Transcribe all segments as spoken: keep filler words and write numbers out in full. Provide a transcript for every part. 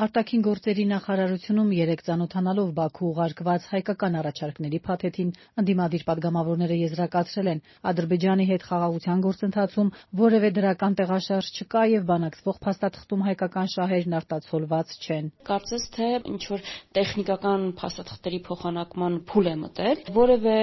Արտաքին գործերի նախարարությունում երեկ ծանոթանալով Բաքու ուղարկված հայկական առաջարկների փաթեթին ընդդիմադիր պատգամավորները եզրակացրել են Ադրբեջանի հետ խաղաղության գործընթացում որևէ դրական տեղաշարժ չկա եւ բանակցվող փաստաթղթում հայկական շահերն արտացոլված չեն։ Կարծես թե ինչ-որ տեխնիկական փաստաթղթերի փոխանակման փուլ է մտել, որևէ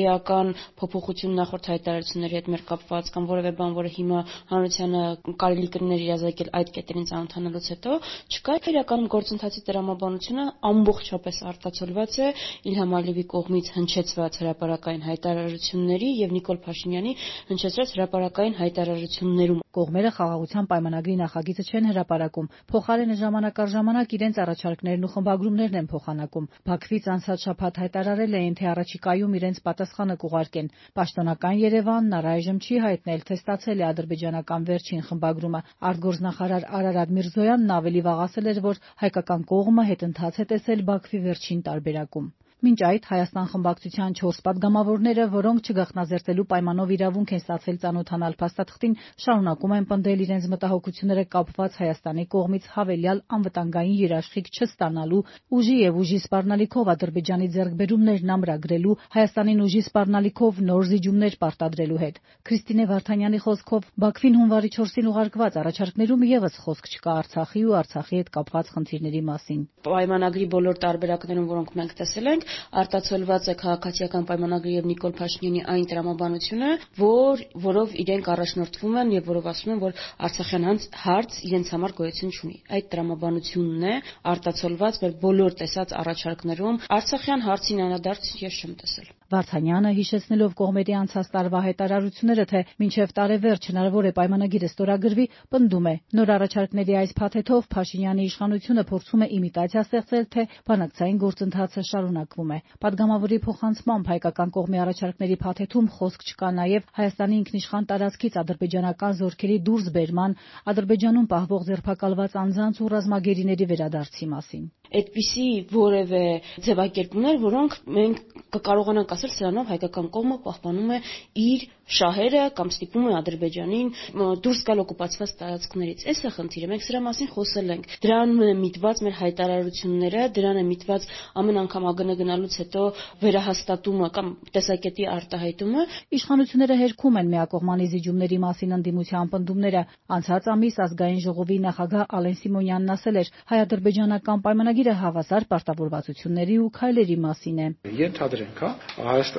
էական փոփոխություն նախորդ հայտարարությունների հետ մեր կապված կամ որևէ բան, որը հիմա հանրությանը կարելի կլիներ իրազեկել այդ կետերին ծանոթանալուց հետո չկա։ Իրականում գործընթացի տրամաբանությունը ամբողջապես արտացոլված է Իլհամ Ալիևի կողմից հնչեցված հրապարակային հայտարարությունների եւ Նիկոլ Փաշինյանի հնչեցրած հրապարակային հայտարարություններում։ Կողմերը խաղաղության պայմանագրի նախագիծը չեն հրապարակում, փոխարենը ժամանակ առ ժամանակ իրենց առաջարկներն ու խմբագրումներն են փոխանակում։ Բաքվից անցած շաբաթ հայտարարել էին, թե առաջիկայում իրենց պատասխանը կուղարկեն։ Պաշտոնական Երևանն առայժմ չի հայտնել, թե ստացել է ադրբեջանական վերջին խմբագրումը։ Արտգործնախարար Արարատ Միրզոյանն ավելի վաղ ասել էր, որ հայկական կողմը հետընթաց է տեսել Բաքվի վերջին տարբերակում։ Մինչ այդ Հայաստան խմբակցության չորս պատգամավորները, որոնք չգաղտնազերծելու պայմանով իրավունք են ստացել ծանոթանալ փաստաթղթին, շարունակում են պնդել իրենց մտահոգությունները կապված Հայաստանի կողմից հավելյալ անվտանգային երաշխիք չստանալու, ուժի եւ ուժի սպառնալիքով Ադրբեջանի ձեռքբերումներն ամրագրելու, Հայաստանին ուժի սպառնալիքով նոր զիջումներ պարտադրելու հետ։ Քրիստինե Վարդանյանի խոսքով Բաքվին հունվարի չորսին ուղարկված առաջարկներում եւս խոսք չկա Արցախի ու Արցախի հետ կապված խնդիրների մասին։ Պայմանագրի բոլոր տարբերակներում, որոնք մենք տեսել ենք, արտացոլված է քաղաքացիական պայմանագրի եւ Նիկոլ Փաշինյանի այն տրամաբանությունը, որ որով իրենք առաջնորդվում են եւ որով ասում են, որ Արցախյան հարց իրենց համար գոյություն չունի։ Այդ տրամաբանությունն է արտացոլված մեր բոլոր տեսած առաջարկներում։ Արցախյան հարցին անդրադարձ ես չեմ տեսել։ Վարդանյանը հիշեցնելով կողմերի անցած տարվա հայտարարությունները, թե մինչև տարեվերջ հնարավոր է պայմանագիրը ստորագրվի, պնդում է, նոր առաջարկների այս փաթեթով Փաշինյանի իշխանությունը փորձում է իմիտացիա ստեղծել, թե բանակցային գործընթացը շարունակվում է։ Պատգամավորի փոխանցմամբ հայկական կողմի առաջարկների փաթեթում խոսք չկա նաև Հայաստանի ինքնիշխան տարածքից ադրբեջանական զորքերի դուրսբերման, Ադրբեջանում պահվող ձերբակալված անձանց ու ռազմագերիների վերադարձի մասին։ Այդպիսի որևէ ձևակերպումներ, որոնք մենք կկարողանանք ասել, սրանով հայկական կողմը պահպանում է իր շահերը կամ ստիպում է Ադրբեջանին դուրս գալ օկուպացված տարածքներից։ Այս է խնդիրը, մենք սրա մասին խոսել ենք։ Դրան է միտված մեր հայտարարությունները, դրան է միտված ամեն անգամ ԱԳՆ գնալուց հետո վերահաստատումը կամ տեսակետի արտահայտումը։ Իշխանությունները հերքում են միակողմանի զիջումների մասին ընդդիմության պնդումները։ Անցած ամիս ազգային ժողովի նախագահ Ալեն Սիմոնյանն ասել էր, հայ-ադրբեջանական պայմանագիրը հավասար պարտավորվածությունների ու քայլերի մասին է։ Ենթադրենք, հա,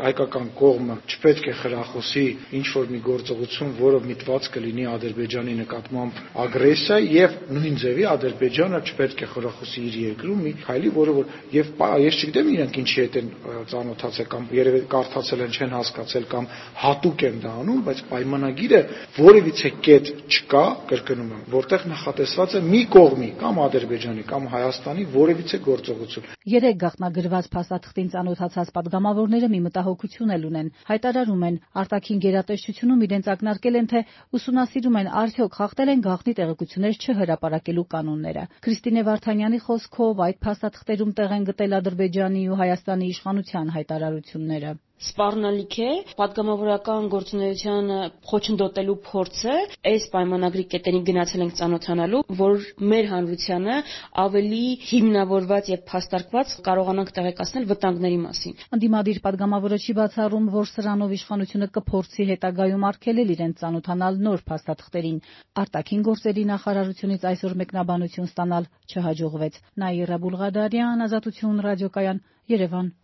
հայկական կողմը չպետք է խրախուսի ինչ-որ մի գործողություն, որը միտված կլինի Ադրբեջանի նկատմամբ ագրեսիա, եւ նույն ձևի Ադրբեջանը չպետք է խրախուսի իր երկրում մի քայլի, որը որ եւ ես չգիտեմ իրենք ինչի հետ են ծանոթացել կամ երևի կարդացել են, չեն հասկացել կամ հատուկ են դա անում, բայց պայմանագիրը որևիցե կետ չկա, կրկնում եմ, որտեղ նախատեսված է մի կողմի կամ Ադրբեջանի կամ Հայաստանի որևիցե գործողություն։ Երեք գաղտնագրված փաստաթղթին ծանոթացած պատգամավորները մի մտահոգություն էլ ունեն։ Հայտարարում են, արտաքին գերատեսչությունում իրենց ակնարկել են, թե ուսումնասիրում են արդյոք խախտել են գաղտնի տեղեկություններ չհրապարակելու կանոնները։ Քրիստինե Վարդանյանի խոսքով այդ փաստաթղթերում տեղ են գտել Ադրբեջանի ու Հայաստանի իշխանության հայտարարությունները։ Սպառնալիք է պատգամավորական գործունեությանը խոչընդոտելու փորձը, այս պայմանագրի կետերին գնացել ենք ծանոթանալու, որ մեր հանրությանը ավելի հիմնավորված եւ փաստարկված կարողանանք տեղեկացնել վտանգների մասին։ Ընդդիմադիր պատգամավորը չի բացառում, որ սրանով իշխանությունը կփորձի հետագայում արգելել իրենց ծանոթանալ նոր փաստաթղթերին։ Արտաքին գործերի նախարարությունից այսօր մեկնաբանություն ստանալ չհաջողվեց։ Նաիրա Բուլղադարյան, Ազատություն ռադիոկայան, Երևան։